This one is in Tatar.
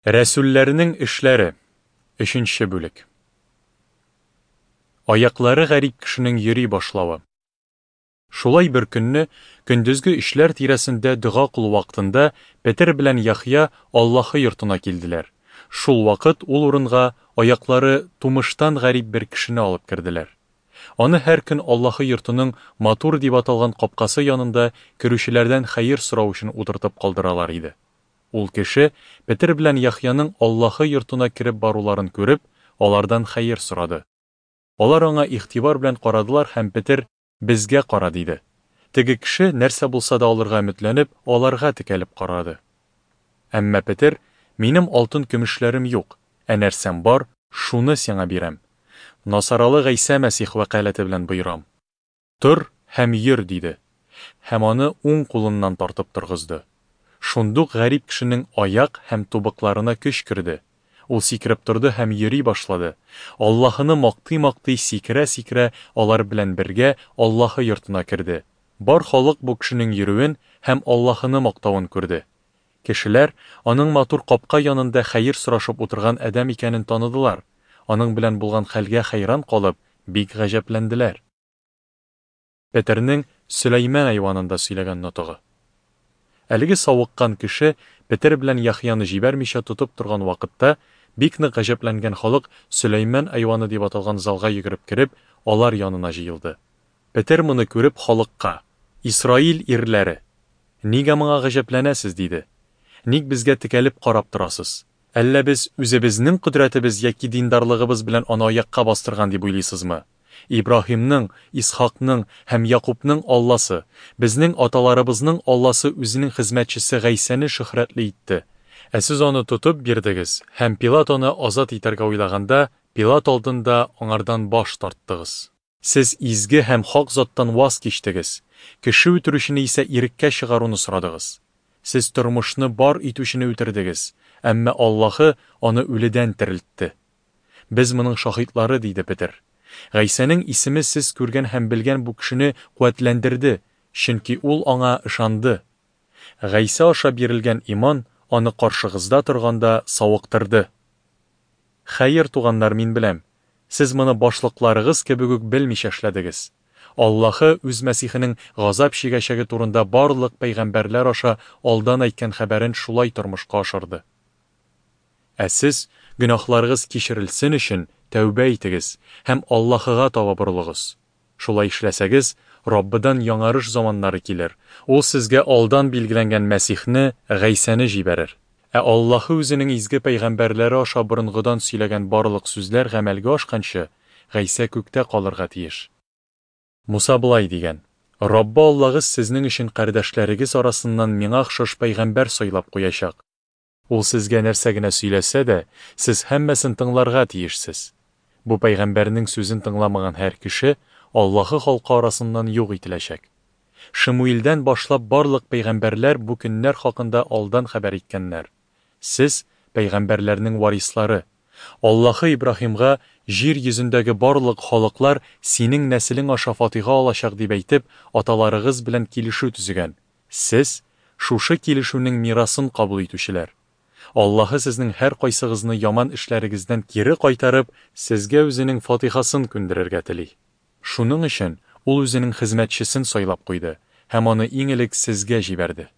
Рәсүлләрнең эшләре, өченче бүлек. Аяклары гарип кешенең йөри башлавы. Шулай бер көнне, көндезге өчләр тирәсендә дога кылу вакытында, Петер белән Яхъя Аллаһы йортына килделәр. Шул вакыт ул урынга аяклары тумыштан гарип бер кешене алып керделәр. Аны һәр көн Аллаһы йортының Матур дип аталган капкасы янында керүчеләрдән хәер сорау өчен утыртып калдыралар иде. Ул кеше, Петер белән Яхъяның Аллаһы йортына кереп баруларын күреп, алардан хәер сорады. Алар аңа игътибар белән карадылар һәм Петер, Безгә кара, диде. Теге кеше, нәрсә булса да алырга өметләнеп, аларга текәлеп карады. Әмма Петер, Минем алтын-көмешләрем юк, ә нәрсәм бар, шуны сиңа бирәм. Насаралы Гайсә Мәсих вәкаләте белән боерам. Тор һәм йөр, диде. Һәм аны уң кулыннан тартып торгызды. Шундук гарип кешенең аяк һәм тубыкларына көч керде. Ул сикереп торды һәм йөри башлады. Аллаһыны мактый-мактый, сикерә-сикерә, алар белән бергә Аллаһы йортына керде. Бар халык бу кешенең йөрүен һәм Аллаһыны мактавын күрде. Кешеләр аның матур капка янында хәер сорашып утырган адәм икәнен таныдылар, аның белән булган хәлгә хәйран калып, бик гаҗәпләнделәр. Петернең Сөләйман айванында сөйләгән нотыгы. Әлеге савыккан кеше Петер белән Яхъяны җибәрмичә тотып торган вакытта, бик нык гаҗәпләнгән халык Сөләйман айваны дип аталган залга йөгереп кереп, алар янына җыелды. Петер моны күреп халыкка, Исраил ирләре! Нигә моңа гаҗәпләнәсез? диде. Ник безгә текәлеп карап торасыз? Әллә без үзебезнең кодрәтебез яки диндарлыгыбыз белән аны аякка бастырган дип уйлыйсызмы? Ибраһимның, Исхакның һәм Якубның Алласы, безнең аталарыбызның Алласы үзенең хезмәтчесе Гайсәне шөһрәтле итте. Ә сез аны тотып бирдегез һәм Пилат аны азат итәргә уйлаганда, Пилат алдында аңардан баш тарттыгыз. Сез изге һәм хак заттан ваз кичтегез, кеше үтерүчене исә иреккә чыгаруны сорадыгыз. Сез тормышны бар итүчене үтердегез, әмма Аллаһы аны үледән терелтте. Без моның шаһитлары, диде Петер. Гайсәнең исеме сез күргән һәм белгән бу кешене куәтләндерде, чөнки ул аңа ышанды. Гайсә аша бирелгән иман аны каршыгызда торганда савыктырды. Хәер, туганнар, мин беләм, сез моны башлыкларыгыз кебек үк белмичә эшләдегез. Аллаһы үз Мәсихенең газап чигәчәге турында барлык пәйгамбәрләр аша алдан әйткән хәбәрен шулай тормышка ашырды. Ә сез, гөнаһларыгыз кичерелсен өчен, тәүбә итегез һәм Аллаһыга таба борылыгыз. Шулай эшләсәгез, Раббыдан яңарыш заманнары килер, Ул сезгә алдан билгеләнгән Мәсихне, Гайсәне җибәрер. Ә Аллаһы Үзенең изге пәйгамбәрләре аша борынгыдан сөйләгән барлык сүзләр гамәлгә ашканчы, Гайсә күктә калырга тиеш. Муса болай дигән, Раббы Аллагыз сезнең өчен кардәшләрегез арасыннан миңа охшаш пәйгамбәр сайлап куячак. Ул сезгә нәрсә генә сөйләсә дә, сез һәммәсен тыңларга тиешсез. Бу пәйгамбәрнең сүзен тыңламаган һәр кеше Аллаһы халкы арасыннан юк ителәчәк. Шемуилдән башлап барлык пәйгамбәрләр бу көннәр хакында алдан хәбәр иткәннәр. Сез, пәйгамбәрләрнең варислары. Аллаһы Ибраһимга, Җир йөзендәге барлык халыклар синең нәселең аша фатиха алачак, дип әйтеп, аталарыгыз белән килешү төзегән. Сез, шушы килешүнең мирасын кабул итүчеләр. Аллаһы сезнең һәркайсыгызны яман эшләрегездән кире кайтарып, сезгә үзенең фатихасын күндерергә тели. Шуның өчен Ул үзенең хезмәтчесен сайлап куйды һәм аны иң элек сезгә җибәрде.